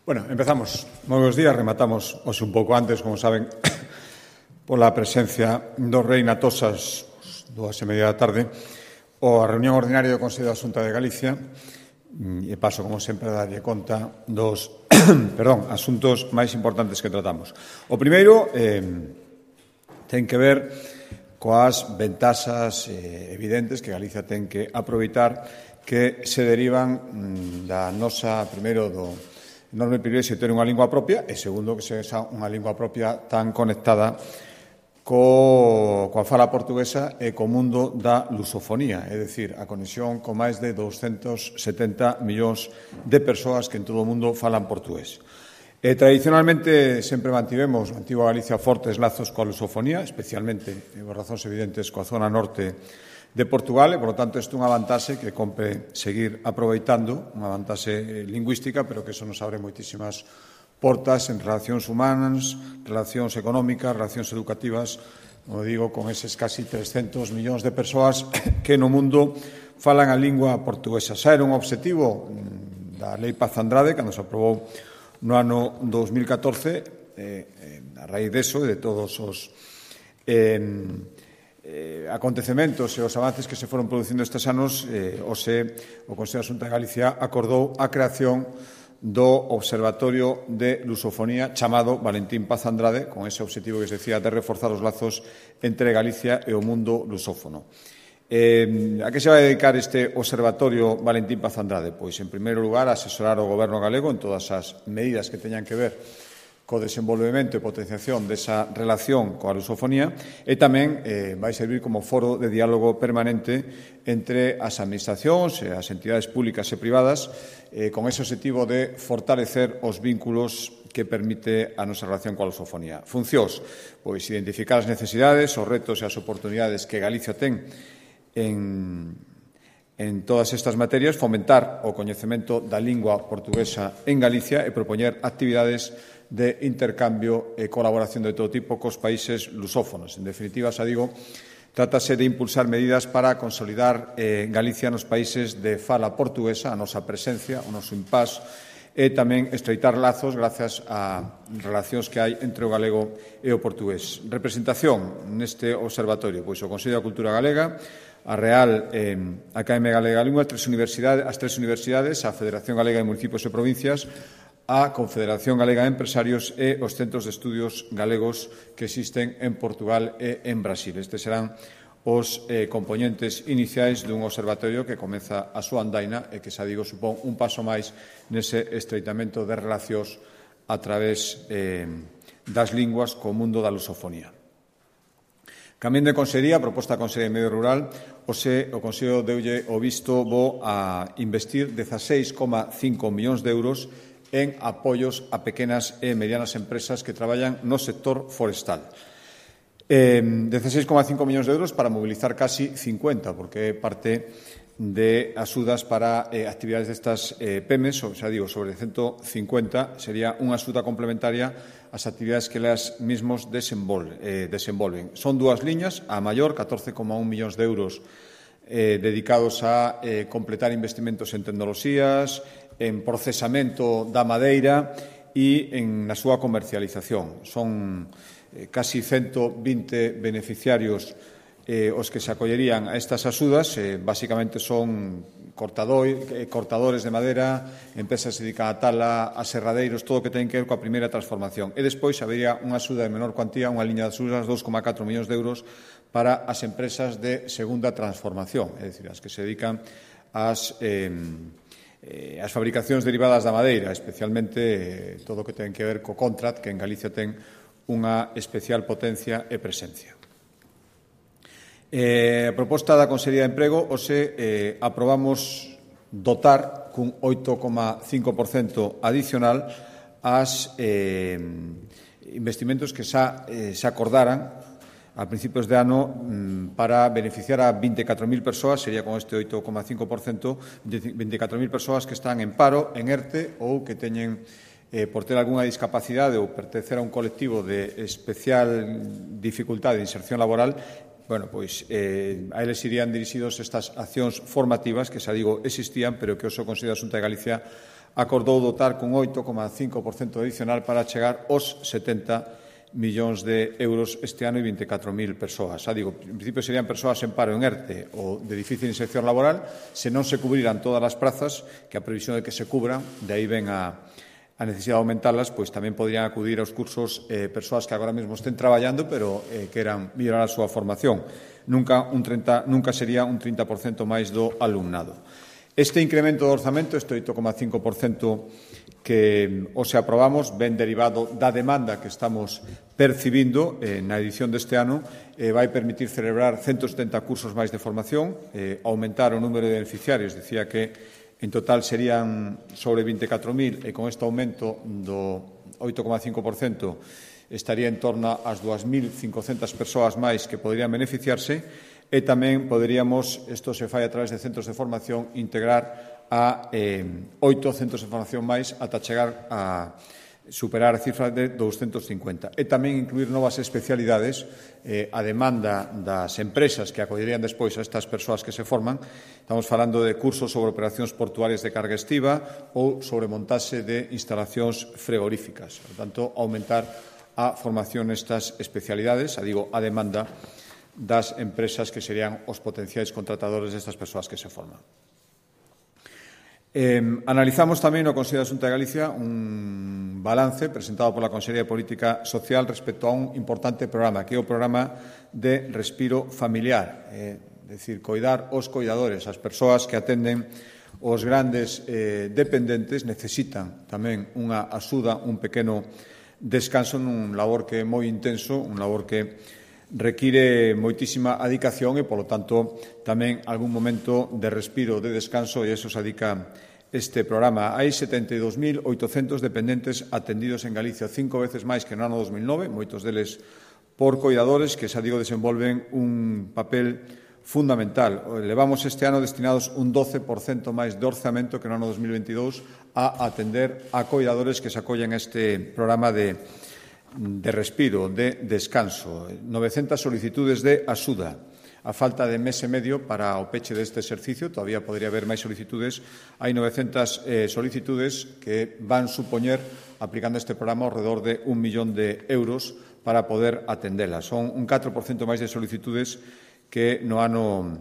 Bueno, empezamos. Moi bons días, rematamos hoxe un pouco antes, como saben, pola presencia do Rei na Tosas, 2:30 da tarde, ou a reunión ordinaria do Consello da Xunta de Galicia, e paso, como sempre, a darlle conta dos asuntos máis importantes que tratamos. O primeiro ten que ver coas ventaxas evidentes que Galicia ten que aproveitar que se derivan da nosa, primeiro, do enorme privilexio de ter unha lingua propia e, segundo, que sexa unha lingua propia tan conectada coa fala portuguesa e co mundo da lusofonía, é dicir, a conexión con máis de 270 millóns de persoas que en todo o mundo falan portugués. Tradicionalmente sempre mantivemos na antiga Galicia fortes lazos coa lusofonía, especialmente, por razóns evidentes, coa zona norte de Portugal, e, por lo tanto, isto é unha vantaxe que compre seguir aproveitando, unha vantaxe lingüística, pero que eso nos abre moitísimas portas en relacións humanas, relacións económicas, relacións educativas, como digo, con eses casi 300 millóns de persoas que no mundo falan a lingua portuguesa. Xa era un objetivo da Lei Paz Andrade, cando se aprobou no ano 2014, a raíz deso e de todos os acontecementos e os avances que se foron producindo estes anos, o Consello da Xunta de Galicia acordou a creación do Observatorio de Lusofonía chamado Valentín Paz Andrade, con ese objetivo que se decía de reforzar os lazos entre Galicia e o mundo lusófono. A que se vai dedicar este Observatorio Valentín Paz Andrade? Pois, en primeiro lugar, a asesorar o Goberno galego en todas as medidas que teñan que ver co desenvolvemento e potenciación desa relación coa lusofonía, e tamén vai servir como foro de diálogo permanente entre as administracións e as entidades públicas e privadas, con ese objetivo de fortalecer os vínculos que permite a nosa relación coa lusofonía. Funcións, pois, identificar as necesidades, os retos e as oportunidades que Galicia ten en todas estas materias, fomentar o coñecemento da lingua portuguesa en Galicia e propoñer actividades de intercambio e colaboración de todo tipo cos países lusófonos. En definitiva, xa digo, trátase de impulsar medidas para consolidar Galicia nos países de fala portuguesa, a nosa presencia, o noso impás, e tamén estreitar lazos grazas a relacións que hai entre o galego e o portugués. Representación neste observatorio, pois o Consello da Cultura Galega, a Real Academia Galega da Lingua, as tres universidades, a Federación Galega de Municipios e Provincias, a Confederación Galega de Empresarios e os centros de estudios galegos que existen en Portugal e en Brasil. Estes serán os componentes iniciais dun observatorio que comeza a súa andaina e que, xa digo, supón un paso máis nese estreitamento de relacións a través das linguas co mundo da lusofonía. Cambiando de consellería, a proposta da Consellería de Medio Rural, o Consello deulle o visto bo a investir 16,5 millóns de euros en apoios a pequenas e medianas empresas que traballan no sector forestal. 16,5 millóns de euros para mobilizar casi 50, porque é parte de axudas para actividades destas PEMES, xa digo, sobre 150, sería unha axuda complementaria ás actividades que elas mesmos desenvolven. Son dúas liñas, a maior, 14,1 millóns de euros dedicados a completar investimentos en tecnoloxías, en procesamento da madeira e na súa comercialización. Son casi 120 beneficiarios os que se acollerían a estas axudas. Básicamente son cortadores de madeira, empresas que se dedican a tala, a serradeiros, todo o que ten que ver coa primeira transformación. E despois habería unha axuda de menor cuantía, unha liña de axudas, 2,4 millóns de euros para as empresas de segunda transformación, é dicir, as que se dedican as fabricacións derivadas da madeira, especialmente todo o que ten que ver co contract, que en Galicia ten unha especial potencia e presencia. A proposta da Consellería de Emprego, aprobamos dotar cun 8,5% adicional as investimentos que xa se acordaran a principios de ano para beneficiar a 24.000 persoas, sería con este 8,5%, 24.000 persoas que están en paro, en ERTE ou que teñen, por ter algunha discapacidade ou pertencer a un colectivo de especial dificultade de inserción laboral, bueno, pois a eles irían dirixidos estas accións formativas que, xa digo, existían, pero que o Consello da Xunta de Galicia acordou dotar con 8,5% adicional para chegar aos 70 millóns de euros este ano e 24.000 persoas. Xa digo, en principio serían persoas en paro, en ERTE ou de difícil inserción laboral, se non se cubriran todas as prazas, que a previsión de que se cubran, de aí ven a necesidade de aumentarlas, pois tamén podrían acudir aos cursos persoas que agora mesmo estén traballando, pero queran mellorar a súa formación. Nunca sería un 30% máis do alumnado. Este incremento do orzamento, este 8,5% que hoxe aprobamos, ben derivado da demanda que estamos percibindo na edición deste ano, vai permitir celebrar 170 cursos máis de formación, aumentar o número de beneficiarios, dicía que en total serían sobre 24.000 e con este aumento do 8,5% estaría en torno ás 2.500 persoas máis que poderían beneficiarse. E tamén poderíamos, isto se fai a través de centros de formación, integrar a 8 centros de formación máis ata chegar a superar a cifra de 250. E tamén incluir novas especialidades a demanda das empresas que acollerían despois a estas persoas que se forman. Estamos falando de cursos sobre operacións portuarias de carga estiva ou sobre montaxe de instalacións frigoríficas. Por tanto, aumentar a formación nestas especialidades, a demanda das empresas que serían os potenciais contratadores destas persoas que se forman. Analizamos tamén no Consello da Xunta de Galicia un balance presentado pola Consellería de Política Social respecto a un importante programa, que é o programa de respiro familiar, decir, coidar os coidadores, as persoas que atenden os grandes dependentes necesitan tamén unha axuda, un pequeno descanso nun labor que é moi intenso, un labor que require moitísima adicación e, polo tanto, tamén algún momento de respiro, de descanso, e iso se adica este programa. Hai 72.800 dependentes atendidos en Galicia, 5 veces máis que no ano 2009, moitos deles por coidadores que, xa digo, desenvolven un papel fundamental. Levamos este ano destinados un 12% máis de orzamento que no ano 2022 a atender a coidadores que se acollen a este programa de respiro, de descanso. 900 solicitudes de axuda. A falta de mes e medio para o peche deste exercicio, todavía podría haber máis solicitudes, hai 900 solicitudes que van supoñer, aplicando este programa, alrededor de 1 millón de euros para poder atendelas. Son un 4% máis de solicitudes que no ano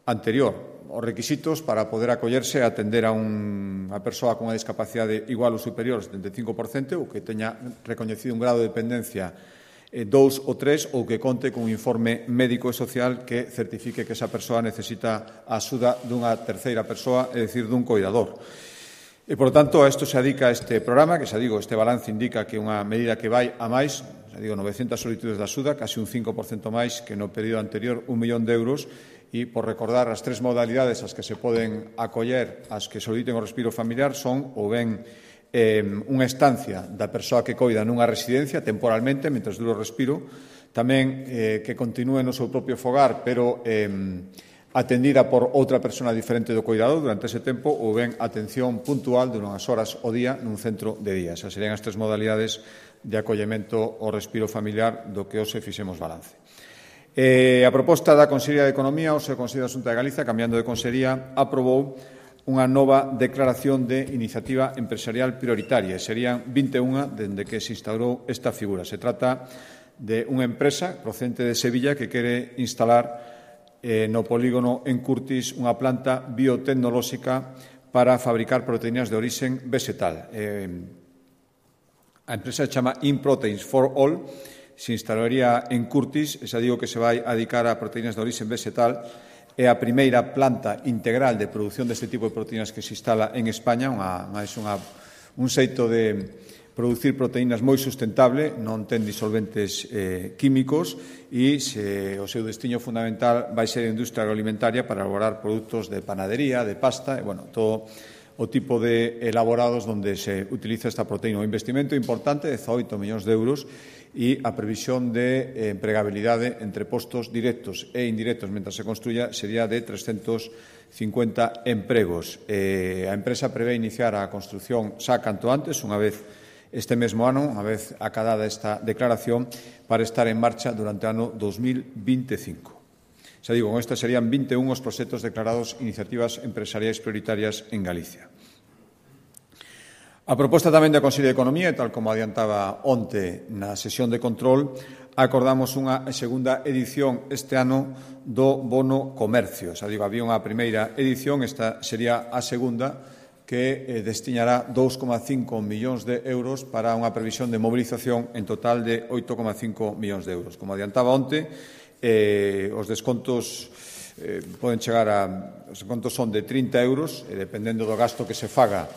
anterior. Os requisitos para poder acollerse a atender a unha persoa con unha discapacidade igual ou superior ao 75% ou que teña recoñecido un grado de dependencia 2 ou 3 ou que conte con un informe médico e social que certifique que esa persoa necesita a axuda dunha terceira persoa, é dicir, dun coidador. E, por tanto, a isto se adica este programa, que, xa digo, este balance indica que é unha medida que vai a máis, xa digo, 900 solicitudes de axuda, casi un 5% máis que no período anterior, 1 millón de euros, e, por recordar, as 3 modalidades ás que se poden acoller as que soliciten o respiro familiar son ou ben unha estancia da persoa que coida nunha residencia temporalmente, mentre dure o respiro, tamén que continúe no seu propio fogar, pero atendida por outra persona diferente do coidador durante ese tempo, ou ben atención puntual de unhas horas ao día nun centro de día. Esas serían as 3 modalidades de acollemento ao respiro familiar do que hoxe fixemos balance. A proposta da Consellería de Economía, o Consello da Xunta de Galicia, cambiando de consellería, aprobou unha nova declaración de iniciativa empresarial prioritaria. Serían 21 dende que se instaurou esta figura. Se trata de unha empresa procedente de Sevilla que quere instalar no polígono en Curtis unha planta biotecnolóxica para fabricar proteínas de orixen vegetal. A empresa se chama InProteins for All, se instalaría en Curtis, xa digo que se vai a dedicar a proteínas de orixen vegetal. É a primeira planta integral de produción deste tipo de proteínas que se instala en España, un xeito de producir proteínas moi sustentable, non ten disolventes químicos e o seu destino fundamental vai ser a industria agroalimentaria para elaborar produtos de panadería, de pasta, e, todo o tipo de elaborados onde se utiliza esta proteína. Un investimento importante de 18 millóns de euros e a previsión de empregabilidade entre postos directos e indirectos mentre se construya sería de 350 empregos. A empresa prevé iniciar a construción xa canto antes, unha vez este mesmo ano, unha vez acadada esta declaración, para estar en marcha durante o ano 2025. Xa digo, con estes serían 21 os proxectos declarados iniciativas empresariais prioritarias en Galicia. A proposta tamén da Consello de Economía, e tal como adiantaba onte na sesión de control, acordamos unha segunda edición este ano do bono comercio. Xa digo, había unha primeira edición, esta sería a segunda, que destinará 2,5 millóns de euros para unha previsión de mobilización en total de 8,5 millóns de euros. Como adiantaba onte, os descontos poden chegar os descontos son de 30 euros, e dependendo do gasto que se faga,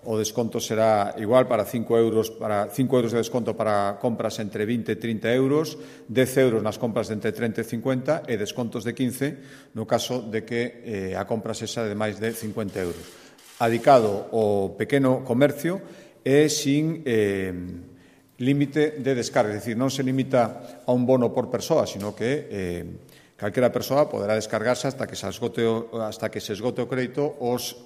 o desconto será igual para 5 euros de desconto para compras entre 20 e 30 euros, 10 euros nas compras de entre 30 e 50 e descontos de 15 no caso de que a compra sexa de máis de 50 euros. Adicado ao pequeno comercio e sin límite de descarga, é dicir, non se limita a un bono por persoa, sino que calquera persoa poderá descargarse hasta que se esgote o crédito os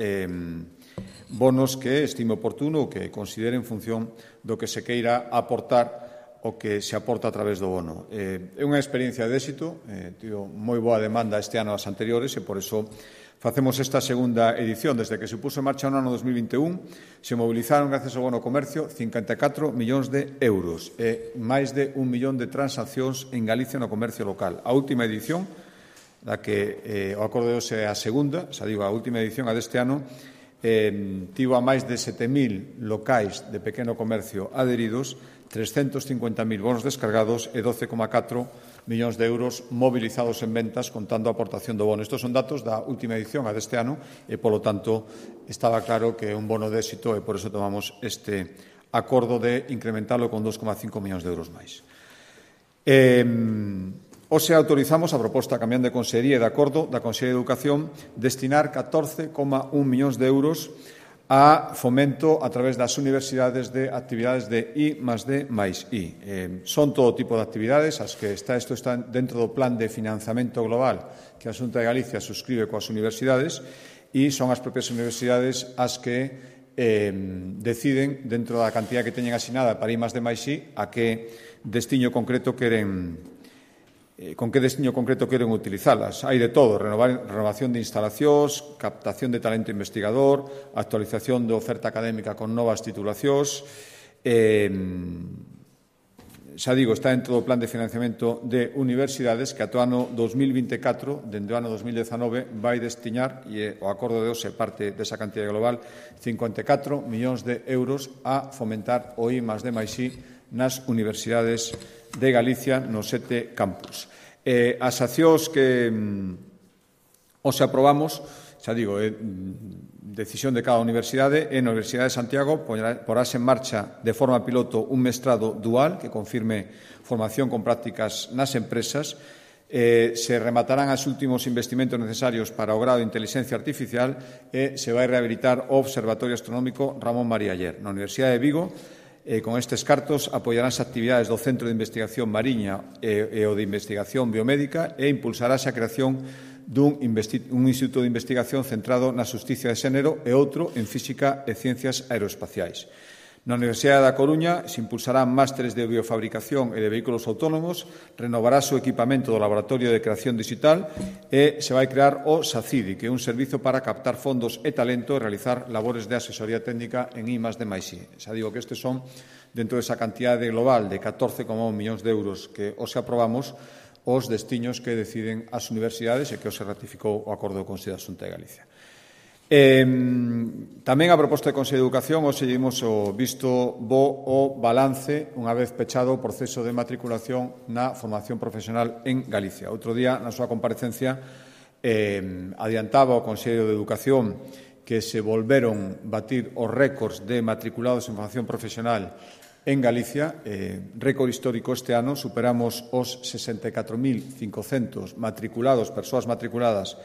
bonos que estime oportuno ou que considere en función do que se queira aportar o que se aporta a través do bono. É unha experiencia de éxito, tivo moi boa demanda este ano ás anteriores e por iso facemos esta segunda edición. Desde que se puso en marcha no ano 2021 se movilizaron, gracias ao bono comercio, 54 millóns de euros e máis de 1 millón de transaccións en Galicia no comercio local. A última edición, da que o acordo de hoxe é a segunda, xa digo, a última edición, a deste ano, tivo a máis de 7.000 locais de pequeno comercio adheridos, 350.000 bonos descargados e 12,4 millóns de euros mobilizados en ventas contando a aportación do bono. Estos son datos da última edición, a deste ano, e, polo tanto, estaba claro que é un bono de éxito e por iso tomamos este acordo de incrementarlo con 2,5 millóns de euros máis. Hoxe autorizamos a proposta cambiando de consellería e de acordo da Consellería de Educación destinar 14,1 millóns de euros a fomento a través das universidades de actividades de I+D+I. Son todo tipo de actividades, as que isto está dentro do plan de financiamento global que a Xunta de Galicia suscribe coas universidades e son as propias universidades as que deciden, dentro da cantidad que teñen asinada para I+D+I, a que destiño concreto queren utilizalas. Hai de todo, renovación de instalacións, captación de talento investigador, actualización de oferta académica con novas titulacións. Xa digo, está dentro do plan de financiamento de universidades que ata o ano 2024, dende o ano 2019, vai destinar, e o acordo de hoxe parte desa cantidad global, 54 millóns de euros a fomentar o I+D+I nas universidades de Galicia nos 7 campus. As accións que hoxe aprobamos, xa digo, é decisión de cada universidade, e na Universidade de Santiago porase en marcha de forma piloto un mestrado dual que confirme formación con prácticas nas empresas. Se rematarán os últimos investimentos necesarios para o grado de inteligencia artificial e se vai rehabilitar o Observatorio Astronómico Ramón María Aller. Na Universidade de Vigo, con estes cartos, apoiaránse actividades do Centro de Investigación Mariña e o de Investigación Biomédica e impulsarase a creación dun instituto de investigación centrado na xusticia de xénero e outro en física e ciencias aeroespaciais. Na Universidade da Coruña se impulsarán másteres de biofabricación e de vehículos autónomos, renovarase o equipamento do Laboratorio de Creación Digital e se vai crear o SACIDI, que é un servizo para captar fondos e talento e realizar labores de asesoría técnica en I+D+I. Xa digo que estes son, dentro desa cantidade global de 14,1 millóns de euros que hoxe aprobamos, os destiños que deciden as universidades e que hoxe ratificou o acordo do Consello da Xunta de Galicia. Tamén a proposta de Consello de Educación, hoxe dimos o visto bo o balance unha vez pechado o proceso de matriculación na formación profesional en Galicia. Outro día, na súa comparecencia, adiantaba o Consello de Educación que se volveron batir os récords de matriculados en formación profesional en Galicia. Récord histórico este ano, superamos os 64.500 matriculados, persoas matriculadas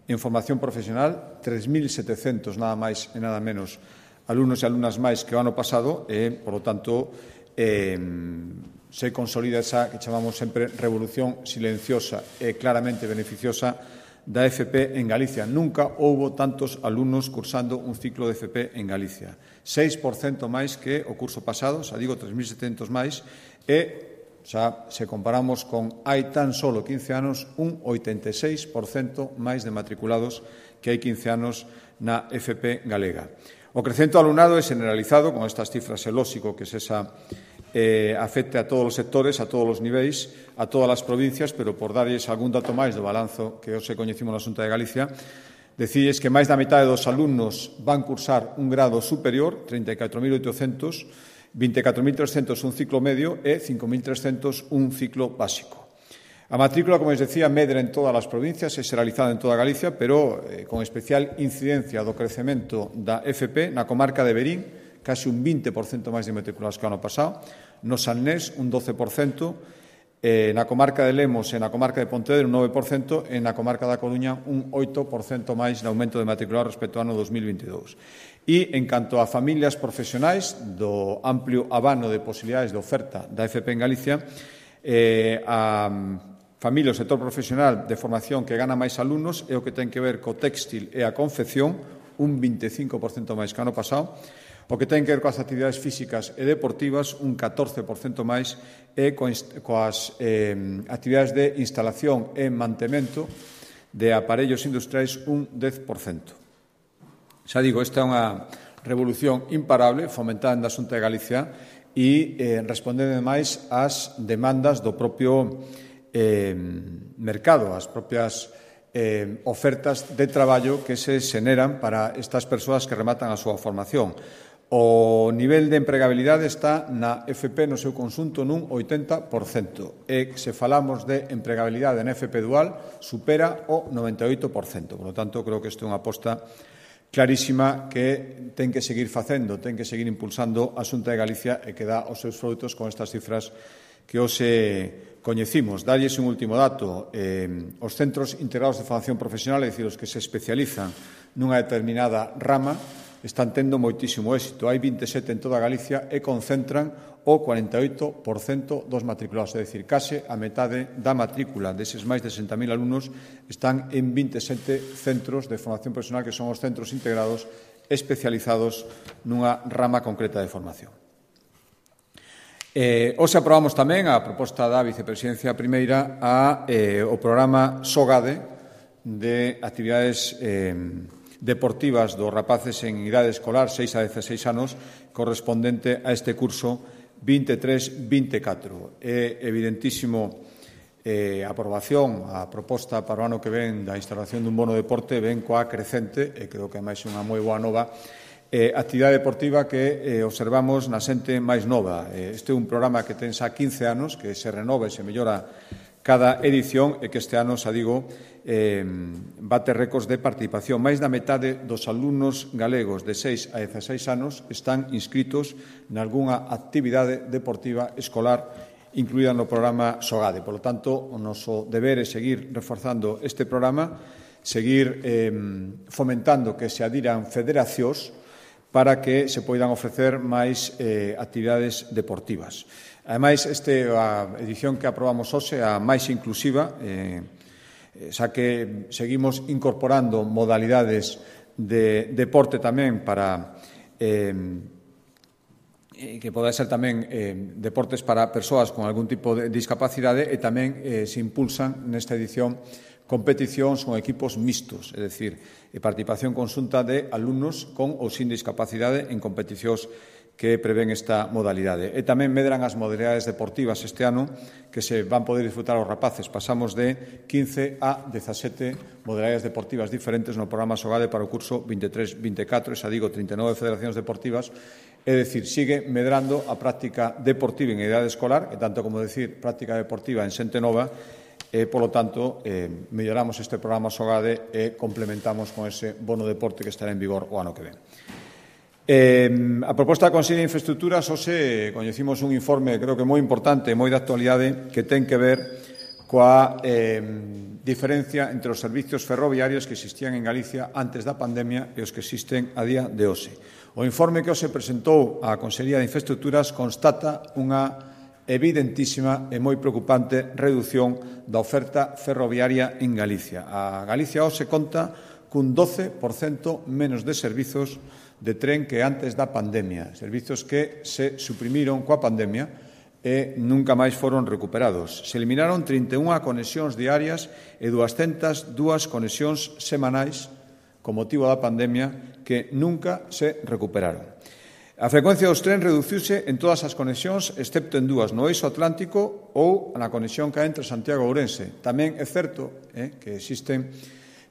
en formación profesional, 3.700 nada máis e nada menos alumnos e alumnas máis que o ano pasado e, por lo tanto, se consolida esa que chamamos sempre revolución silenciosa e claramente beneficiosa da FP en Galicia. Nunca houbo tantos alumnos cursando un ciclo de FP en Galicia. 6% máis que o curso pasado, xa digo, 3.700 máis, e Xa, se comparamos con hai tan solo 15 anos, un 86% máis de matriculados que hai 15 anos na FP galega. O crecemento do alumnado é generalizado, con estas cifras é lóxico que afecte a todos os sectores, a todos os niveis, a todas as provincias, pero por darlles algún dato máis do balanzo que hoxe coñecimos na Xunta de Galicia, decíes que máis da metade dos alumnos van cursar un grado superior, 34.800, 24.300 un ciclo medio e 5.300 un ciclo básico. A matrícula, como les decía, medra en todas as provincias, é xeralizada en toda Galicia, pero con especial incidencia do crecemento da FP na comarca de Verín, case un 20% máis de matriculados que o ano pasado, no Salnés un 12%, na comarca de Lemos e na comarca de Pontevedra un 9% e na comarca da Coruña un 8% máis de aumento de matriculados respecto ao ano 2022. E, en canto a familias profesionais do amplio abano de posibilidades de oferta da FP en Galicia, a familia do sector profesional de formación que gana máis alumnos é o que ten que ver co téxtil e a confección, un 25% máis que o ano pasado. O que ten que ver coas actividades físicas e deportivas, un 14% máis, e coas actividades de instalación e mantemento de aparellos industriais, un 10%. Xa digo, esta é unha revolución imparable fomentada na Xunta de Galicia e respondendo máis ás demandas do propio mercado, as propias ofertas de traballo que se xeneran para estas persoas que rematan a súa formación. O nivel de empregabilidade está na FP no seu conxunto nun 80%. E se falamos de empregabilidade na FP dual, supera o 98%. Por lo tanto, creo que isto é unha aposta clarísima que ten que seguir facendo, ten que seguir impulsando a Xunta de Galicia e que dá os seus froitos con estas cifras que hoxe coñecimos. Dalles un último dato. Os centros integrados de formación profesional, é dicir, os que se especializan nunha determinada rama, están tendo moitísimo éxito. Hai 27 en toda Galicia e concentran o 48% dos matriculados, é dicir, case a metade da matrícula deses máis de 60.000 alumnos están en 27 centros de formación profesional que son os centros integrados especializados nunha rama concreta de formación. Hoxe aprobamos tamén a proposta da Vicepresidencia Primeira o programa SOGADE de actividades deportivas dos rapaces en idade escolar 6 a 16 anos correspondente a este curso 23-24. É evidentísimo a aprobación, a proposta para o ano que ven da instalación dun bono deporte ven coa crecente, e creo que é máis unha moi boa nova, actividade deportiva que observamos na xente máis nova. Este é un programa que ten xa 15 anos, que se renova e se mellora cada edición e que este ano, xa digo, bate récords de participación. Máis da metade dos alumnos galegos de 6 a 16 anos están inscritos nalgúnha actividade deportiva escolar incluída no programa SOGADE. Por lo tanto, o noso deber é seguir reforzando este programa, seguir fomentando que se adiran federacións para que se poidan ofrecer máis actividades deportivas. Ademais, a edición que aprobamos hoxe é a máis inclusiva, xa que seguimos incorporando modalidades de deporte tamén para que poda ser tamén deportes para persoas con algún tipo de discapacidade e tamén se impulsan nesta edición competicións con equipos mixtos, é dicir, participación conxunta de alumnos con ou sin discapacidade en competicións que prevén esta modalidade. E tamén medran as modalidades deportivas este ano que se van poder disfrutar os rapaces. Pasamos de 15 a 17 modalidades deportivas diferentes no programa SOGADE para o curso 23-24, xa digo, 39 federacións deportivas, é dicir, sigue medrando a práctica deportiva en idade escolar, e tanto como decir práctica deportiva en xente nova, e, polo tanto, melloramos este programa SOGADE e complementamos con ese bono deporte que estará en vigor o ano que ven. A proposta da Consellería de Infraestructuras, hoxe coñecimos un informe, creo que moi importante, moi de actualidade, que ten que ver coa diferencia entre os servicios ferroviarios que existían en Galicia antes da pandemia e os que existen a día de hoxe. O informe que hoxe presentou a Consellería de Infraestructuras constata unha evidentísima e moi preocupante reducción da oferta ferroviaria en Galicia. A Galicia hoxe conta cun 12% menos de servizos de tren que antes da pandemia, servizos que se suprimiron coa pandemia e nunca máis foron recuperados. Se eliminaron 31 conexións diarias e 202 conexións semanais con motivo da pandemia que nunca se recuperaron. A frecuencia dos trens reduciuse en todas as conexións, excepto en dúas, no eixo atlántico ou na conexión que hai entre Santiago e Ourense. Tamén é certo que existen,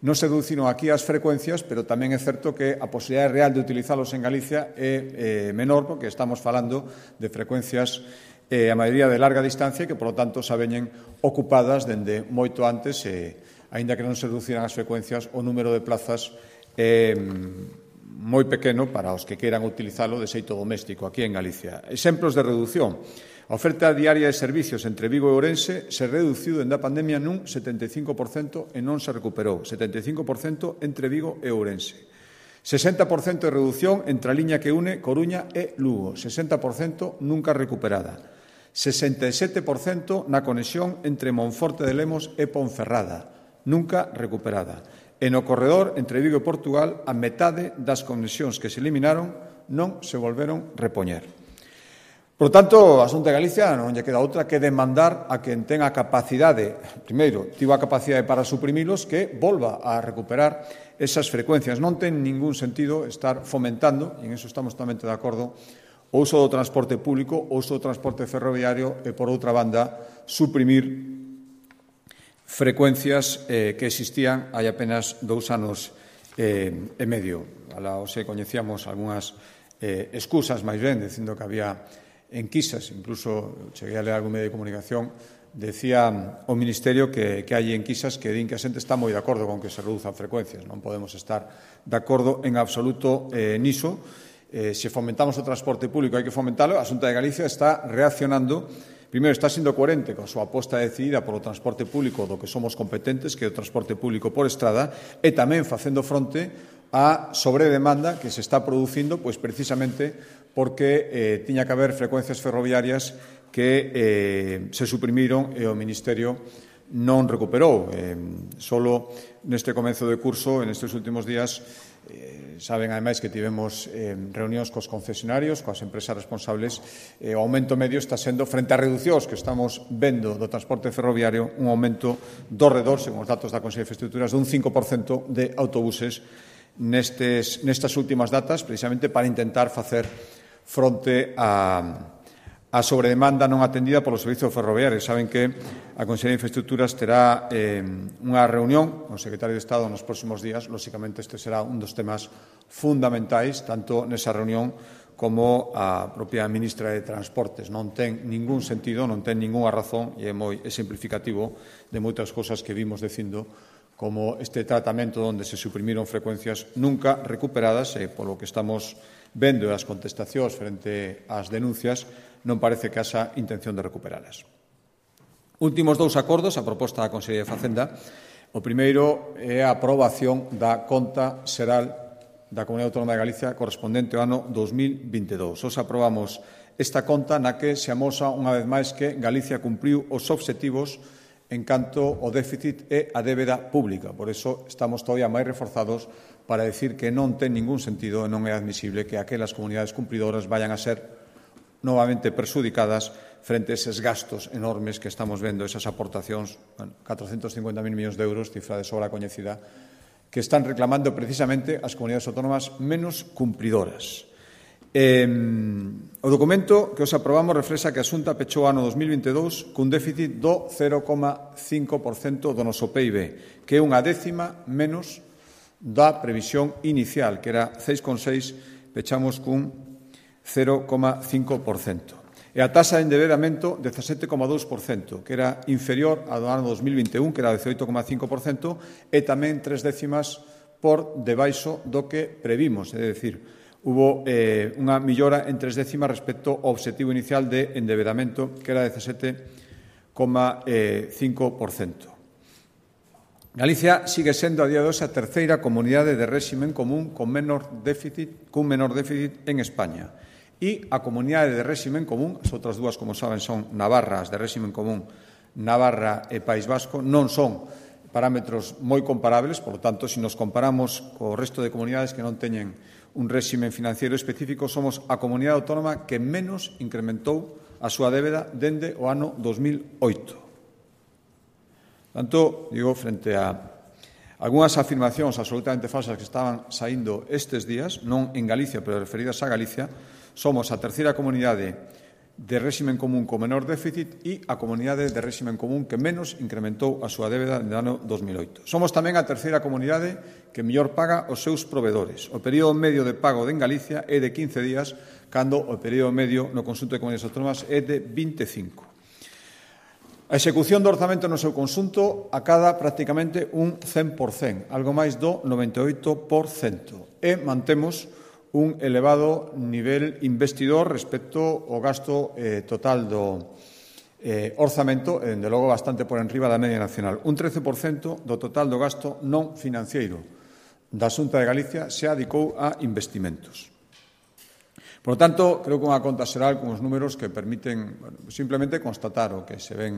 non se reduciron aquí as frecuencias, pero tamén é certo que a posibilidade real de utilizalos en Galicia é menor, porque estamos falando de frecuencias a maioría de larga distancia que, por lo tanto, xa veñen ocupadas dende moito antes aínda que non se reduciran as frecuencias, o número de plazas moi pequeno para os que queiran utilizalo de xeito doméstico aquí en Galicia. Exemplos de reducción. A oferta diaria de servicios entre Vigo e Ourense se reduciu dende a pandemia nun 75% e non se recuperou. 75% entre Vigo e Ourense. 60% de reducción entre a liña que une Coruña e Lugo. 60% nunca recuperada. 67% na conexión entre Monforte de Lemos e Ponferrada. Nunca recuperada. E no corredor entre Vigo e Portugal, a metade das conexións que se eliminaron non se volveron repoñer. Por tanto, a Xunta de Galicia non lle queda outra que demandar a quen ten a capacidade, primeiro, tivo a capacidade para suprimilos, que volva a recuperar esas frecuencias. Non ten ningún sentido estar fomentando, e en eso estamos totalmente de acordo, o uso do transporte público, o uso do transporte ferroviario e, por outra banda, suprimir frecuencias que existían hai apenas 2 anos e medio. Hoxe coñecíamos algunhas excusas máis ben, dicindo que había enquisas, incluso cheguei a ler algún medio de comunicación, decía o Ministerio que hai enquisas que din que a xente está moi de acordo con que se reduzan frecuencias. Non podemos estar de acordo en absoluto niso. Se fomentamos o transporte público, hai que fomentalo. A Xunta de Galicia está reaccionando. Primeiro, está sendo coherente con a súa aposta decidida polo transporte público do que somos competentes, que é o transporte público por estrada, e tamén facendo fronte á sobredemanda que se está producindo, pois precisamente porque tiña que haber frecuencias ferroviarias que se suprimiron e o Ministerio non recuperou. Solo neste comezo de curso, en estes últimos días, saben, ademais, que tivemos reunións cos concesionarios, coas empresas responsables, o aumento medio está sendo, frente a reducións que estamos vendo do transporte ferroviario, un aumento do redor, según os datos da Consellería de Infraestructuras, dun 5% de autobuses nestas últimas datas, precisamente para intentar facer fronte a sobredemanda non atendida polos servizos ferroviarios. Saben que a Consellería de Infraestructuras terá unha reunión con o Secretario de Estado nos próximos días. Lóxicamente, este será un dos temas fundamentais, tanto nesa reunión como a propia ministra de Transportes. Non ten ningún sentido, non ten ningunha razón, e é moi simplificativo de moitas cousas que vimos dicindo, como este tratamento onde se suprimiron frecuencias nunca recuperadas, e polo que estamos vendo as contestacións frente ás denuncias, non parece que haxa intención de recuperalas. Últimos 2 acordos a proposta da Consellería de Facenda. O primeiro é a aprobación da conta xeral da Comunidade Autónoma de Galicia correspondente ao ano 2022. Os aprobamos esta conta na que se amosa unha vez máis que Galicia cumpriu os obxectivos en canto ao déficit e a débeda pública. Por iso estamos todavía máis reforzados para decir que non ten ningún sentido e non é admisible que aquelas comunidades cumpridoras vayan a ser novamente perxudicadas frente a eses gastos enormes que estamos vendo, esas aportacións, 450.000 millóns de euros, cifra de sobra coñecida, que están reclamando precisamente as comunidades autónomas menos cumpridoras. O documento que os aprobamos reflexa que a Xunta pechou o ano 2022 cun déficit do 0,5% do noso PIB, que é unha décima menos da previsión inicial, que era 6,6, pechamos cun 0,5%. E a taxa de endebedamento, 17,2%, que era inferior ao do ano 2021, que era 18,5%, e tamén 3 décimas por debaixo do que previmos. É dicir, hubo unha millora en 3 décimas respecto ao obxectivo inicial de endebedamento, que era 17,5%. Galicia sigue sendo a día de hoxe a terceira comunidade de réximen común cun menor déficit en España. E a comunidade de réximen común, as outras dúas, como saben, son Navarra, as de réximen común, Navarra e País Vasco, non son parámetros moi comparables, por lo tanto, se nos comparamos co resto de comunidades que non teñen un réximen financiero específico, somos a comunidade autónoma que menos incrementou a súa débeda dende o ano 2008. Tanto, digo, frente a algunhas afirmacións absolutamente falsas que estaban saindo estes días, non en Galicia, pero referidas a Galicia, somos a terceira comunidade de réximen común con menor déficit e a comunidade de réximen común que menos incrementou a súa débeda no ano 2008. Somos tamén a terceira comunidade que mellor paga os seus provedores. O período medio de pago en Galicia é de 15 días, cando o período medio no conxunto de comunidades autónomas é de 25. A execución do orzamento no seu conxunto acada prácticamente un 100%, algo máis do 98%, e mantemos un elevado nivel investidor respecto ao gasto total do orzamento, dende logo bastante por enriba da media nacional. Un 13% do total do gasto non financiero da Xunta de Galicia se adicou a investimentos. Por lo tanto, creo que unha conta xeral con os números que permiten simplemente constatar o que se ven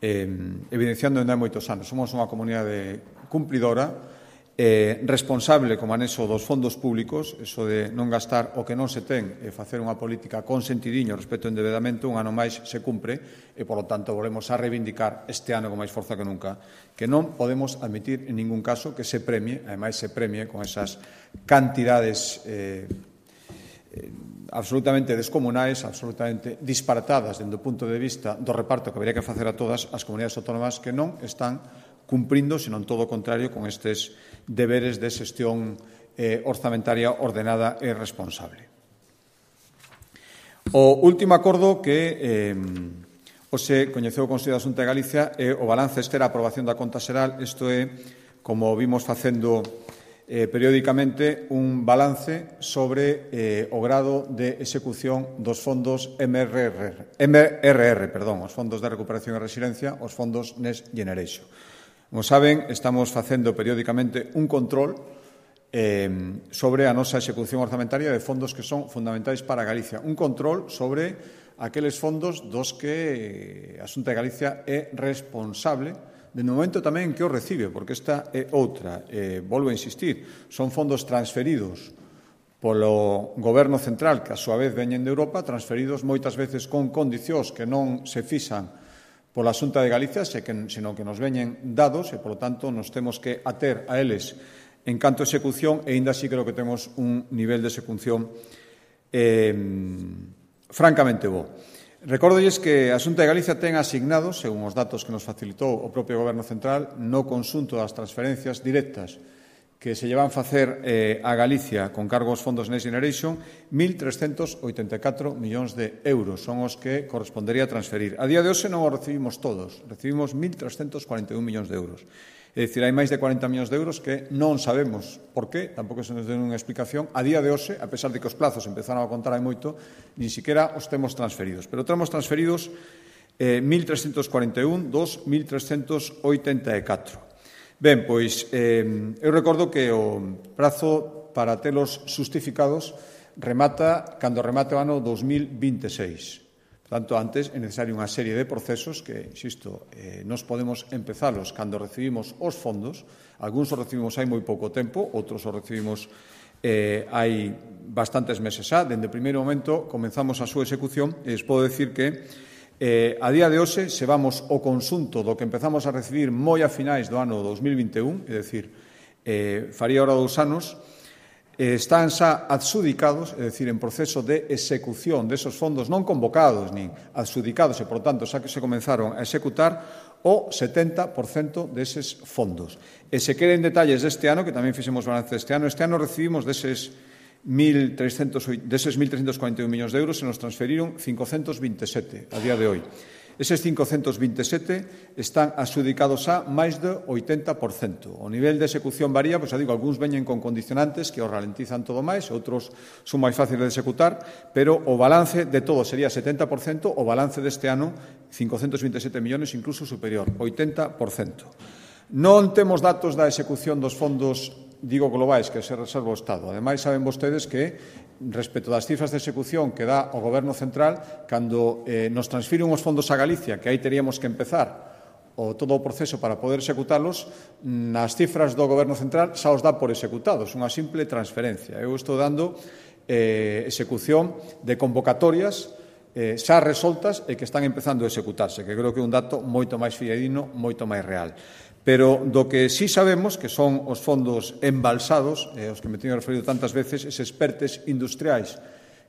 evidenciando dende hai moitos anos. Somos unha comunidade cumplidora, responsable como anexo dos fondos públicos, eso de non gastar o que non se ten e facer unha política con sentidiño respecto ao endebedamento, un ano máis se cumpre e, por lo tanto, volvemos a reivindicar este ano con máis forza que nunca que non podemos admitir en ningún caso que se premie, ademais se premie con esas cantidades absolutamente descomunais, absolutamente disparatadas dende o punto de vista do reparto que habría que facer a todas as comunidades autónomas que non están cumprindo, senón todo o contrario, con estes deberes de xestión orzamentaria ordenada e responsable. O último acordo que hoxe coñeceu o Consello da Xunta de Galicia é o balance. Esta era a aprobación da conta xeral. Isto é, como vimos facendo periódicamente, un balance sobre o grado de execución dos fondos MRR, os fondos de recuperación e resiliencia, os fondos Next Generation. Como saben, estamos facendo periódicamente un control sobre a nosa execución orzamentaria de fondos que son fundamentais para Galicia. Un control sobre aqueles fondos dos que a Xunta de Galicia é responsable de momento tamén que os recibe, porque esta é outra. Volvo a insistir, son fondos transferidos polo Goberno central, que a súa vez veñen de Europa, transferidos moitas veces con condicións que non se fixan pola Xunta de Galicia, senón que nos veñen dados e, polo tanto, nos temos que ater a eles en canto a execución e, ainda así, creo que temos un nivel de execución francamente bo. Recórdolles que a Xunta de Galicia ten asignado, según os datos que nos facilitou o propio Goberno central, no conxunto das transferencias directas que se llevan facer a Galicia con cargo aos fondos Next Generation, 1.384 millóns de euros son os que correspondería transferir. A día de hoxe non os recibimos todos, recibimos 1.341 millóns de euros. É dicir, hai máis de 40 millóns de euros que non sabemos por qué, tampouco se nos den unha explicación. A día de hoxe, a pesar de que os plazos empezaron a contar hai moito, nin siquiera os temos transferidos. Pero temos transferidos 1.341 dos 1.384. Ben, pois, eu recordo que o prazo para telos xustificados remata cando remate o ano 2026. Por tanto, antes é necesario unha serie de procesos que, insisto, nos podemos empezalos cando recibimos os fondos. Algúns os recibimos hai moi pouco tempo, outros os recibimos hai bastantes meses xa. Dende o primeiro momento comenzamos a súa execución e les podo decir que a día de hoxe, se vamos o conxunto do que empezamos a recibir moi a finais do ano 2021, é dicir, faría ahora 2 anos, están xa adxudicados, é dicir, en proceso de execución desos fondos non convocados nin adxudicados e, por tanto, xa que se comenzaron a executar o 70% deses fondos. E se queren detalles deste ano, que tamén fixemos balance deste ano recibimos deses 1.341 millóns de euros se nos transferiron 527 a día de hoy. Eses 527 están adxudicados a máis do 80%. O nivel de execución varía, pois, digo, algúns veñen con condicionantes que os ralentizan todo máis, outros son máis fáciles de executar, pero o balance de todo sería 70%, o balance deste ano 527 millóns incluso superior, 80%. Non temos datos da execución dos fondos, digo, globais que se reserva o Estado. Ademais, saben vostedes que, respecto das cifras de execución que dá o Goberno central, cando nos transfiren os fondos a Galicia, que aí teríamos que empezar todo o proceso para poder executalos, nas cifras do Goberno central xa os dá por executados, unha simple transferencia. Eu estou dando execución de convocatorias xa resoltas e que están empezando a executarse, que creo que é un dato moito máis fidedigno, moito máis real. Pero do que sí sabemos, que son os fondos embalsados, os que me teño referido tantas veces, eses PERTEs industriais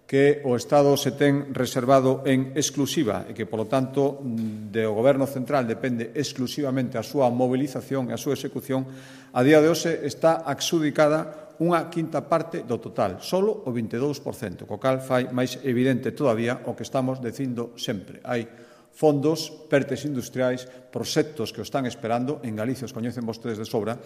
que o Estado se ten reservado en exclusiva e que, polo tanto, do Goberno central depende exclusivamente a súa mobilización e a súa execución, a día de hoxe está adxudicada unha quinta parte do total, solo o 22%, co cal fai máis evidente todavía o que estamos dicindo sempre. Hai fondos, PERTEs industriais, proxectos que o están esperando, en Galicia os coñecen vostedes de sobra,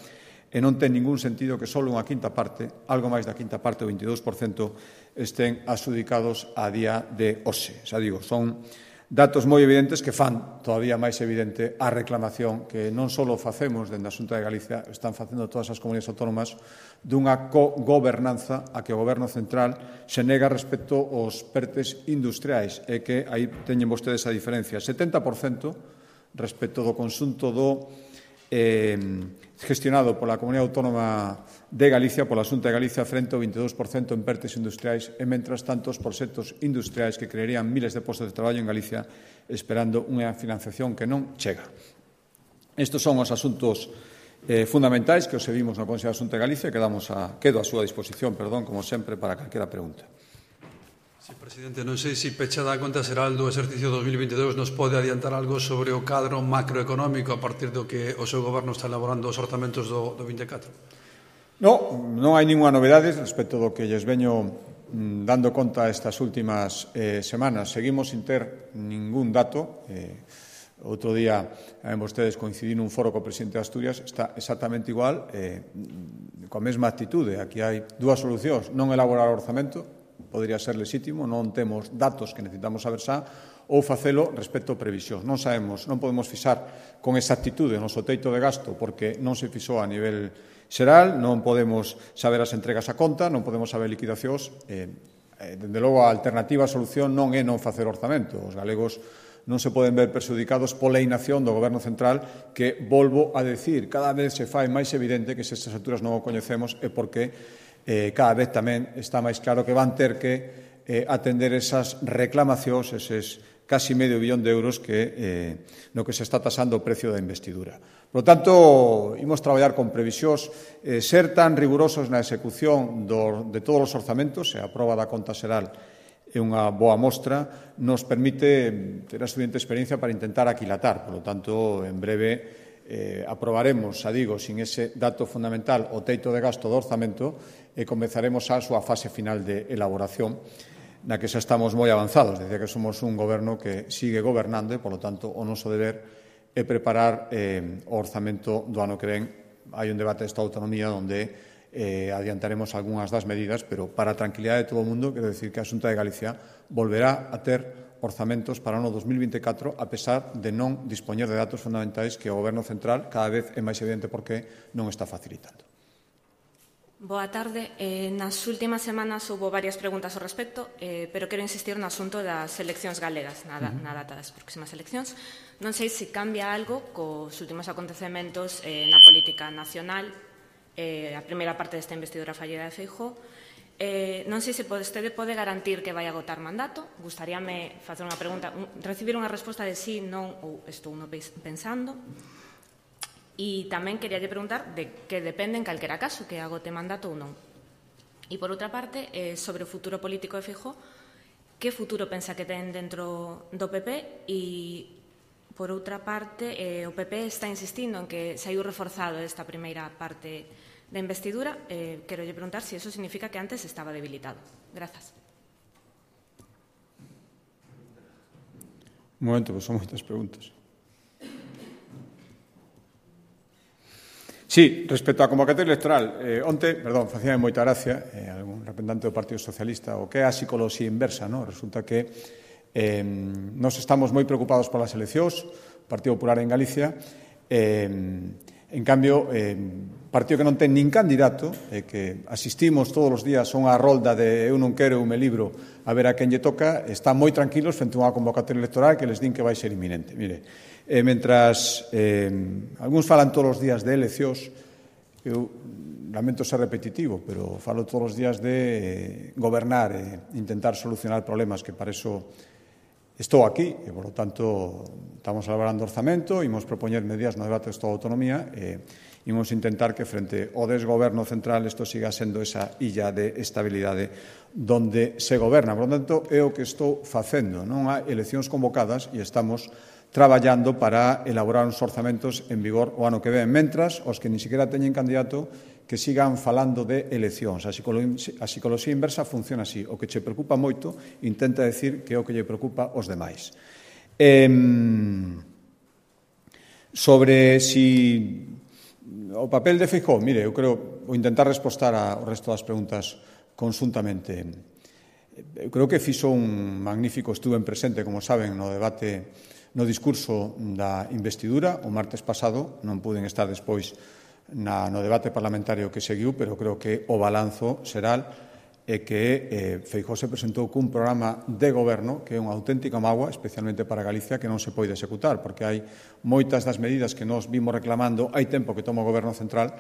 e non ten ningún sentido que só unha quinta parte, algo máis da quinta parte, o 22%, estén adxudicados a día de hoxe. Xa digo, son datos moi evidentes que fan todavía máis evidente a reclamación que non só facemos dende a Xunta de Galicia, están facendo todas as comunidades autónomas dunha co-gobernanza a que o Goberno central se nega respecto aos PERTEs industriais e que aí teñen vostedes a diferencia. 70% respecto do conxunto do gestionado pola Comunidade Autónoma de Galicia, pola Xunta de Galicia, frente ao 22% en PERTEs industriais e, mentras tanto, os proxectos industriais que crearían miles de postos de traballo en Galicia esperando unha financiación que non chega. Estes son os asuntos fundamentais que os seguimos no Consello da Xunta de Galicia e quedo a súa disposición, como sempre, para calquera pregunta. Sí, presidente, non sei se pechada a conta xeral do exercicio 2022 nos pode adiantar algo sobre o cadro macroeconómico a partir do que o seu goberno está elaborando os orzamentos do 24? Non hai ninguna novedade respecto do que lles veño dando conta estas últimas semanas. Seguimos sin ter ningún dato. Outro día, vostedes coincidín nun foro co presidente de Asturias, está exactamente igual, coa mesma actitude. Aquí hai dúas solucións: non elaborar orzamento, podría ser lexítimo, non temos datos que necesitamos saber xa, ou facelo respecto a previsión. Non sabemos, non podemos fixar con exactitude o noso teito de gasto porque non se fixou a nivel xeral, non podemos saber as entregas a conta, non podemos saber liquidacións. Dende logo, a alternativa a solución non é non facer orzamento. Os galegos non se poden ver perxudicados pola inacción do Goberno central que, volvo a decir, cada vez se fai máis evidente que se estas alturas non o coñecemos é porque cada vez tamén está máis claro que van ter que atender esas reclamacións, eses casi medio billón de euros no que se está tasando o precio da investidura. Por lo tanto, imos traballar con previsións, ser tan rigurosos na execución de todos os orzamentos, e a proba da conta xeral é unha boa mostra, nos permite ter a suficiente experiencia para intentar aquilatar. Por lo tanto, en breve aprobaremos, xa digo, sin ese dato fundamental, o teito de gasto do orzamento e comezaremos a súa fase final de elaboración, na que xa estamos moi avanzados. Decía que somos un goberno que sigue gobernando e, polo tanto, o noso deber é preparar o orzamento do ano que ven. Hai un debate desta autonomía onde adiantaremos algunhas das medidas, pero para a tranquilidade de todo o mundo, quero dicir que a Xunta de Galicia volverá a ter orzamentos para o ano 2024, a pesar de non dispoñer de datos fundamentais que o Goberno central cada vez é máis evidente porque non está facilitando. Boa tarde. Nas últimas semanas houve varias preguntas ao respecto, pero quero insistir no asunto das eleccións galegas, na data das próximas eleccións. Non sei se cambia algo cos últimos acontecementos na política nacional, a primeira parte desta investidura fallida de Feijóo. Non sei se vostede pode garantir que vai agotar mandato. Gustaríame facer unha pregunta, recibir unha resposta de sí, non ou estou non pensando. E tamén quería preguntar de que depende en calquera caso que agote mandato ou non. E por outra parte, sobre o futuro político de Feijóo, que futuro pensa que ten dentro do PP? E por outra parte, o PP está insistindo en que saiu reforzado esta primeira parte da investidura. Quero preguntar se iso significa que antes estaba debilitado. Grazas. Un momento, pois son moitas preguntas. Sí, respecto á convocatoria electoral, facía moita gracia algún representante do Partido Socialista o que é a psicoloxía inversa, non? Resulta que nos estamos moi preocupados polas eleccións, o Partido Popular en Galicia, en cambio, partido que non ten nin candidato, que asistimos todos os días a unha rolda de eu non quero, eu me libro, a ver a quen lle toca, están moi tranquilos frente a unha convocatoria electoral que les din que vai ser inminente. Mire, mentras algúns falan todos os días de eleccións, eu lamento ser repetitivo, pero falo todos os días de gobernar e intentar solucionar problemas, que para iso estou aquí e, por lo tanto, estamos elaborando orzamento, imos propoñer medidas no debate do Estado de Autonomía e imos intentar que frente ao desgoberno central isto siga sendo esa illa de estabilidade donde se goberna. Por lo tanto, é o que estou facendo. Non hai eleccións convocadas e estamos traballando para elaborar uns orzamentos en vigor o ano que ven. Mentras, os que ni siquiera teñen candidato que sigan falando de eleccións. A psicoloxía inversa funciona así. O que che preocupa moito intenta decir que é o que lle preocupa aos demais. Sobre si o papel de Feijóo, mire, eu creo, vou intentar respostar ao resto das preguntas conxuntamente. Eu creo que fixo un magnífico, estuve en presente, como saben, no debate, no discurso da investidura, o martes pasado, non puden estar despois no debate parlamentario que seguiu, pero creo que o balanzo será que Feijóo se presentou cun programa de goberno que é unha auténtica mágoa, especialmente para Galicia, que non se pode executar, porque hai moitas das medidas que nos vimos reclamando, hai tempo que toma o Goberno Central,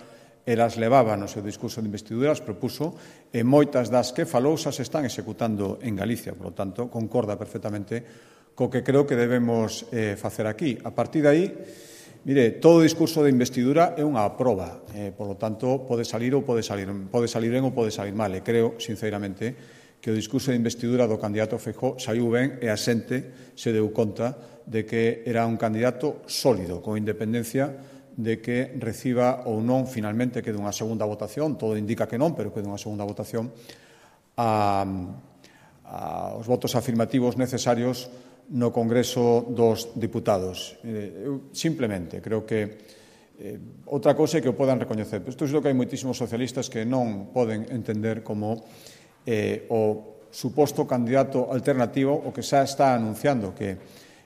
elas levaba no seu discurso de investidura, as propuso, e moitas das que falou xa se están executando en Galicia, por lo tanto, concorda perfectamente co que creo que debemos facer aquí. A partir de aí, mire, todo discurso de investidura é unha proba, por lo tanto, pode salir ben ou pode salir mal, e creo, sinceramente, que o discurso de investidura do candidato Feijóo saiu ben e a xente se deu conta de que era un candidato sólido, con independencia de que reciba ou non, finalmente, que dunha segunda votación, todo indica que non, pero que dunha segunda votación, os votos afirmativos necesarios no Congreso dos Diputados. Eu simplemente creo que outra cousa é que o podan recoñecer. Isto é o que hai moitísimos socialistas que non poden entender como o suposto candidato alternativo o que xa está anunciando que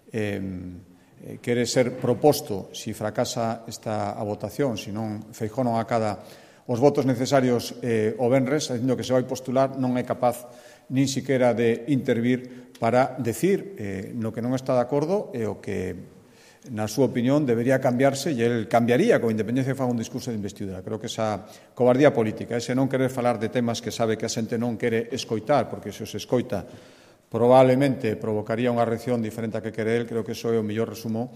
quere ser proposto se fracasa esta votación, se non Feijóo non acada os votos necesarios o venres, dicindo que se vai postular, non é capaz nin siquiera de intervir para decir no que non está de acordo e o que, na súa opinión, debería cambiarse e el cambiaría con independencia de faga un discurso de investidura. Creo que esa cobardía política, ese non querer falar de temas que sabe que a xente non quere escoitar, porque se os escoita probablemente provocaría unha reacción diferente a que quere el, creo que iso é o mellor resumo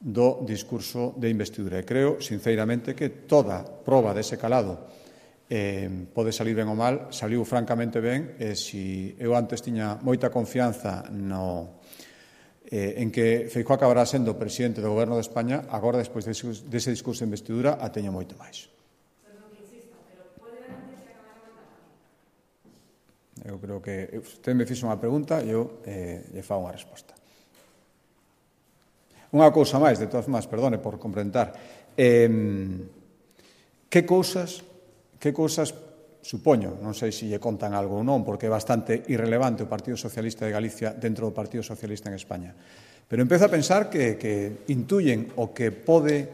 do discurso de investidura. E creo, sinceramente, que toda proba dese calado pode salir ben ou mal, saliu francamente ben, e se eu antes tiña moita confianza en que Feijóo acabará sendo presidente do Goberno de España, agora, despois dese discurso de investidura, a teño moito máis. Eu creo que usted me fixo unha pregunta e eu lle fago unha resposta. Unha cousa máis, de todas formas, perdone por complementar. Que cousas supoño, non sei se lle contan algo ou non, porque é bastante irrelevante o Partido Socialista de Galicia dentro do Partido Socialista en España. Pero empezo a pensar que intuyen o que pode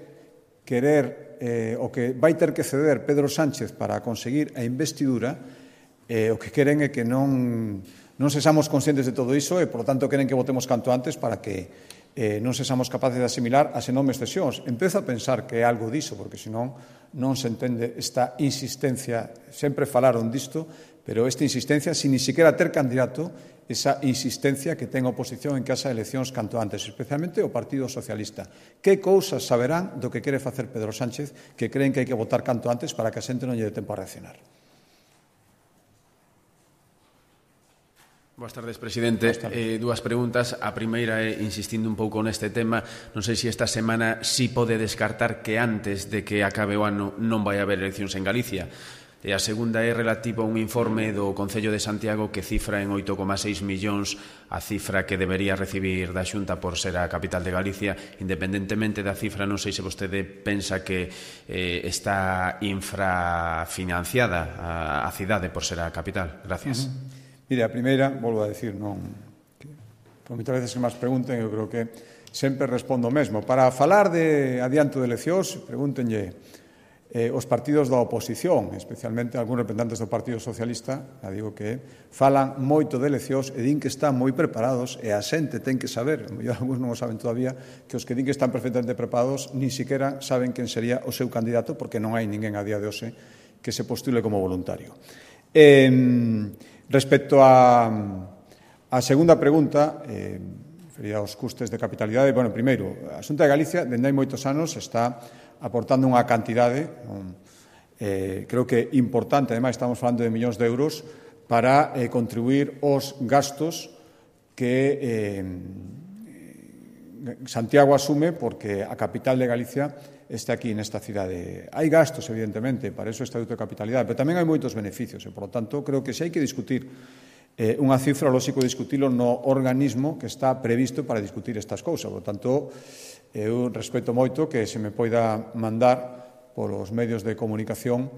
querer, o que vai ter que ceder Pedro Sánchez para conseguir a investidura, o que queren é que non sexamos conscientes de todo iso e, por lo tanto, queren que votemos canto antes para que non sexamos capaces de asimilar as enormes cesións. Empezo a pensar que é algo diso, porque senón non se entende esta insistencia. Sempre falaron disto, pero esta insistencia, sin ni siquiera ter candidato, esa insistencia que ten a oposición en que haxa eleccións canto antes, especialmente o Partido Socialista. Que cousas saberán do que quere facer Pedro Sánchez que creen que hai que votar canto antes para que a xente non lle dé tempo a reaccionar? Boas tardes, presidente. Dúas preguntas. A primeira é, insistindo un pouco neste tema, non sei se esta semana si pode descartar que antes de que acabe o ano non vai haber eleccións en Galicia. E a segunda é relativa a un informe do Concello de Santiago que cifra en 8,6 millóns a cifra que debería recibir da Xunta por ser a capital de Galicia. Independentemente da cifra, non sei se vostede pensa que está infrafinanciada a cidade por ser a capital. Gracias. Mire, a primeira, volvo a decir, non, por moitas veces que máis pregunten, eu creo que sempre respondo o mesmo. Para falar de adianto de eleccións, pregúntenlle os partidos da oposición, especialmente algúns representantes do Partido Socialista, digo que falan moito de eleccións e din que están moi preparados, e a xente ten que saber, algúns non o saben todavía, que os que din que están perfectamente preparados ni siquiera saben quen sería o seu candidato, porque non hai ninguén a día de hoxe que se postule como voluntario. Respecto á segunda pregunta, refería aos custes de capitalidade. Bueno, primeiro, a Xunta de Galicia, dende hai moitos anos, está aportando unha cantidade, creo que importante, ademais estamos falando de millóns de euros, para contribuir aos gastos que Santiago asume porque a capital de Galicia está aquí nesta cidade. Hai gastos, evidentemente, para eso o Estatuto de Capitalidade, pero tamén hai moitos beneficios e, por lo tanto, creo que se hai que discutir unha cifra, lógico discutilo no organismo que está previsto para discutir estas cousas. Por lo tanto, eu respeto moito que se me poida mandar polos medios de comunicación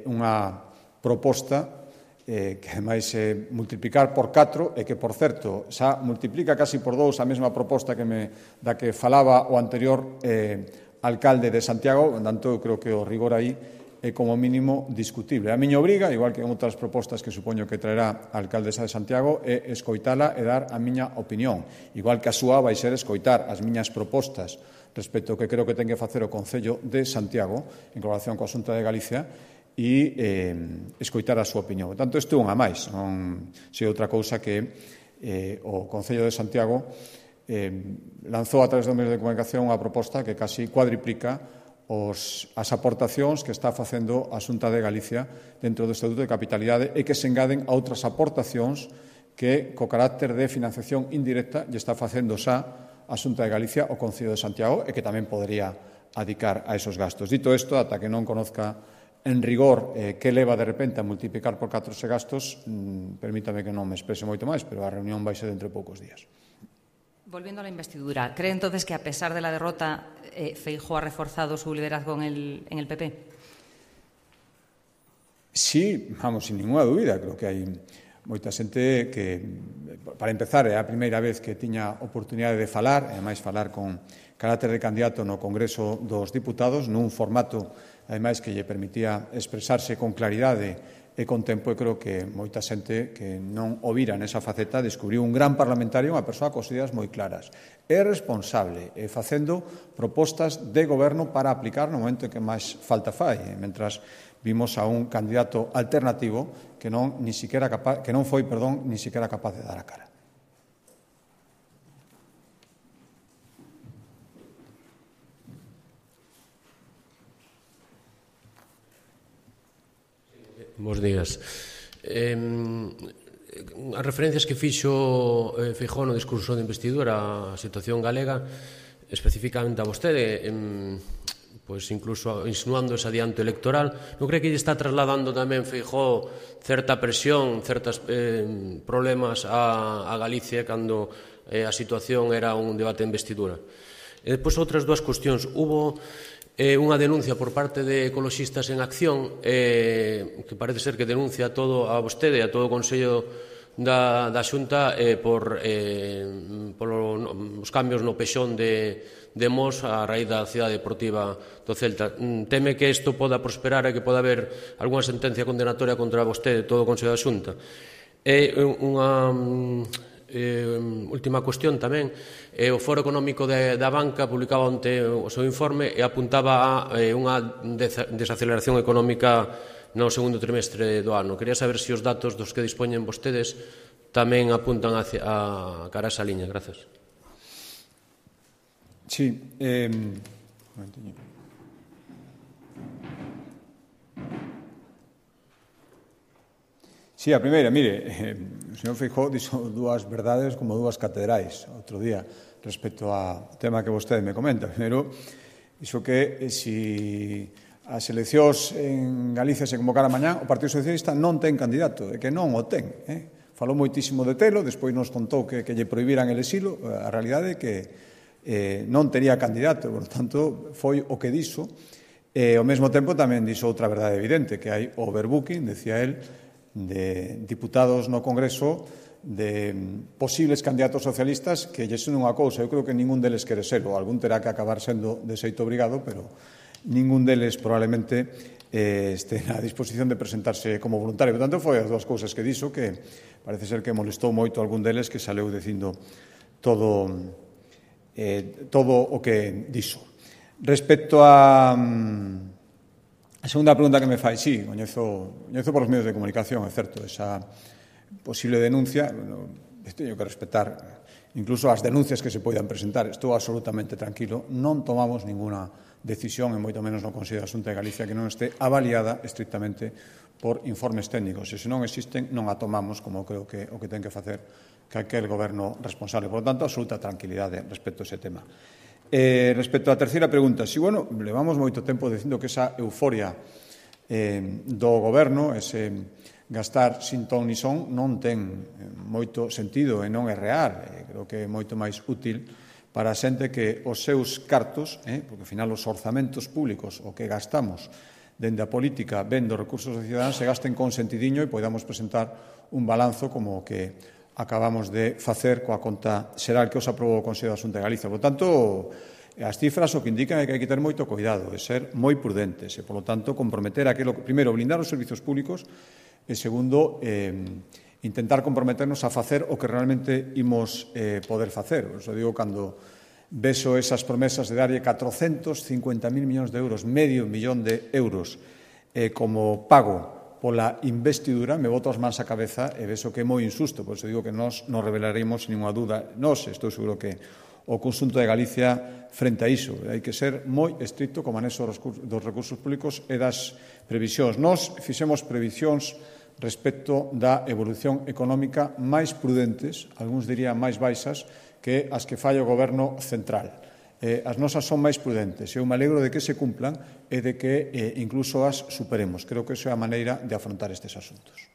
unha proposta que ademais multiplicar por 4 e que, por certo, xa multiplica casi por 2 a mesma proposta da que falaba o anterior alcalde de Santiago. Por tanto, eu creo que o rigor aí é como mínimo discutible. A miña obriga, igual que en outras propostas que supoño que traerá a alcaldesa de Santiago, é escoitala e dar a miña opinión. Igual que a súa vai ser escoitar as miñas propostas respecto ao que creo que ten que facer o Concello de Santiago en colaboración coa Xunta de Galicia e escoitar a súa opinión. Por tanto, isto é unha máis, non sei outra cousa que o Concello de Santiago lanzou a través dos medios de comunicación unha proposta que casi cuadriplica as aportacións que está facendo a Xunta de Galicia dentro do Estatuto de Capitalidade e que se engaden a outras aportacións que, co carácter de financiación indirecta, lle está facendo xa a Xunta de Galicia o Concello de Santiago e que tamén podería adicar a esos gastos. Dito isto, ata que non conozca en rigor que leva de repente a multiplicar por 4 ese gastos, permítame que non me exprese moito máis, pero a reunión vai ser dentro de poucos días. Volviendo a la investidura, ¿cree entonces que a pesar de la derrota, Feijóo ha reforzado su liderazgo en el PP? Sí, vamos, sin ninguna dúbida. Creo que hai moita xente que, para empezar, é a primeira vez que tiña oportunidade de falar, e ademais falar con carácter de candidato no Congreso dos Diputados, nun formato, ademais, que lle permitía expresarse con claridade e con tempo, e creo que moita xente que non o vira nesa faceta descubriu un gran parlamentario, unha persoa cos ideas moi claras. É responsable, facendo propostas de goberno para aplicar no momento en que máis falta fai, mentras vimos a un candidato alternativo que non foi ni siquiera capaz de dar a cara. Bos días. As referencias que fixo Feijóo no discurso de investidura á situación galega, especificamente a vostede, pois incluso insinuando ese adianto electoral, non cree que lle está trasladando tamén Feijóo certa presión, certos problemas a Galicia cando a situación era un debate de investidura? E depois outras dúas cuestións. Hubo unha denuncia por parte de Ecoloxistas en Acción que parece ser que denuncia todo a vostede e a todo o Consello da Xunta por os cambios no pexón de Mos a raíz da cidade deportiva do Celta. Teme que isto poda prosperar e que poda haber algunha sentencia condenatoria contra vostede e todo o Consello da Xunta? E unha última cuestión tamén. O Foro Económico da Banca publicaba onte o seu informe e apuntaba a unha desaceleración económica no segundo trimestre do ano. Quería saber se os datos dos que dispoñen vostedes tamén apuntan a cara a esa liña. Gracias. Sí. Sí, a primeira, mire, o señor Feijóo dixo dúas verdades como dúas catedrais outro día respecto ao tema que vostede me comenta. Primeiro, dixo que se as eleccións en Galicia se convocaran mañá, o Partido Socialista non ten candidato, e que non o ten. Falou moitísimo de telo, despois nos contou que lle prohibiran el exilo. A realidade é que non tería candidato, por tanto, foi o que dixo. E ao mesmo tempo tamén dixo outra verdade evidente, que hai overbooking, decía el, de diputados no Congreso, de posibles candidatos socialistas que lle son unha cousa. Eu creo que ningún deles quere ser, ou algún terá que acabar sendo de xeito obrigado, pero ningún deles probablemente este na disposición de presentarse como voluntario. Por tanto, foi as dúas cousas que dixo, que parece ser que molestou moito a algún deles, que saleu dicindo todo o que dixo. Respecto a segunda pregunta que me fai, sí, coñezo por os medios de comunicación, é certo, esa posible denuncia. teño que respetar incluso as denuncias que se poidan presentar. Estou absolutamente tranquilo, non tomamos ninguna decisión, e moito menos no Consello da Xunta de Galicia, que non este avaliada estrictamente por informes técnicos. E se non existen, non a tomamos, como creo que o que ten que facer calquer goberno responsable. Por lo tanto, absoluta tranquilidade respecto a ese tema. Respecto á terceira pregunta, si, bueno, levamos moito tempo dicindo que esa euforia do goberno, ese gastar sin ton ni son, non ten moito sentido e non é real. Creo que é moito máis útil para a xente que os seus cartos, porque ao final os orzamentos públicos, o que gastamos dende a política vendo recursos dos cidadáns, se gasten con sentidiño e podamos presentar un balanzo como o que acabamos de facer coa conta xeral que os aprobou o Consello da Xunta de Galicia. Por tanto, as cifras o que indican é que hai que ter moito cuidado, e ser moi prudentes, e, por lo tanto, comprometer aquilo, primeiro, blindar os servizos públicos, e, segundo, intentar comprometernos a facer o que realmente imos poder facer. Por iso digo, cando beso esas promesas de darlle 450.000 millóns de euros, medio millón de euros, como pago pola investidura, me boto as mans á cabeza e vexo que é moi injusto. Por iso digo que nós non revelaremos ninguna dúda. Nós, estou seguro que o conxunto de Galicia frente a iso. Hai que ser moi estricto co manexo dos recursos públicos e das previsións. Nós fixemos previsións respecto da evolución económica máis prudentes, algúns dirían máis baixas, que as que falla o Goberno central. As nosas son máis prudentes. Eu me alegro de que se cumplan e de que incluso as superemos. Creo que esa é a maneira de afrontar estes asuntos.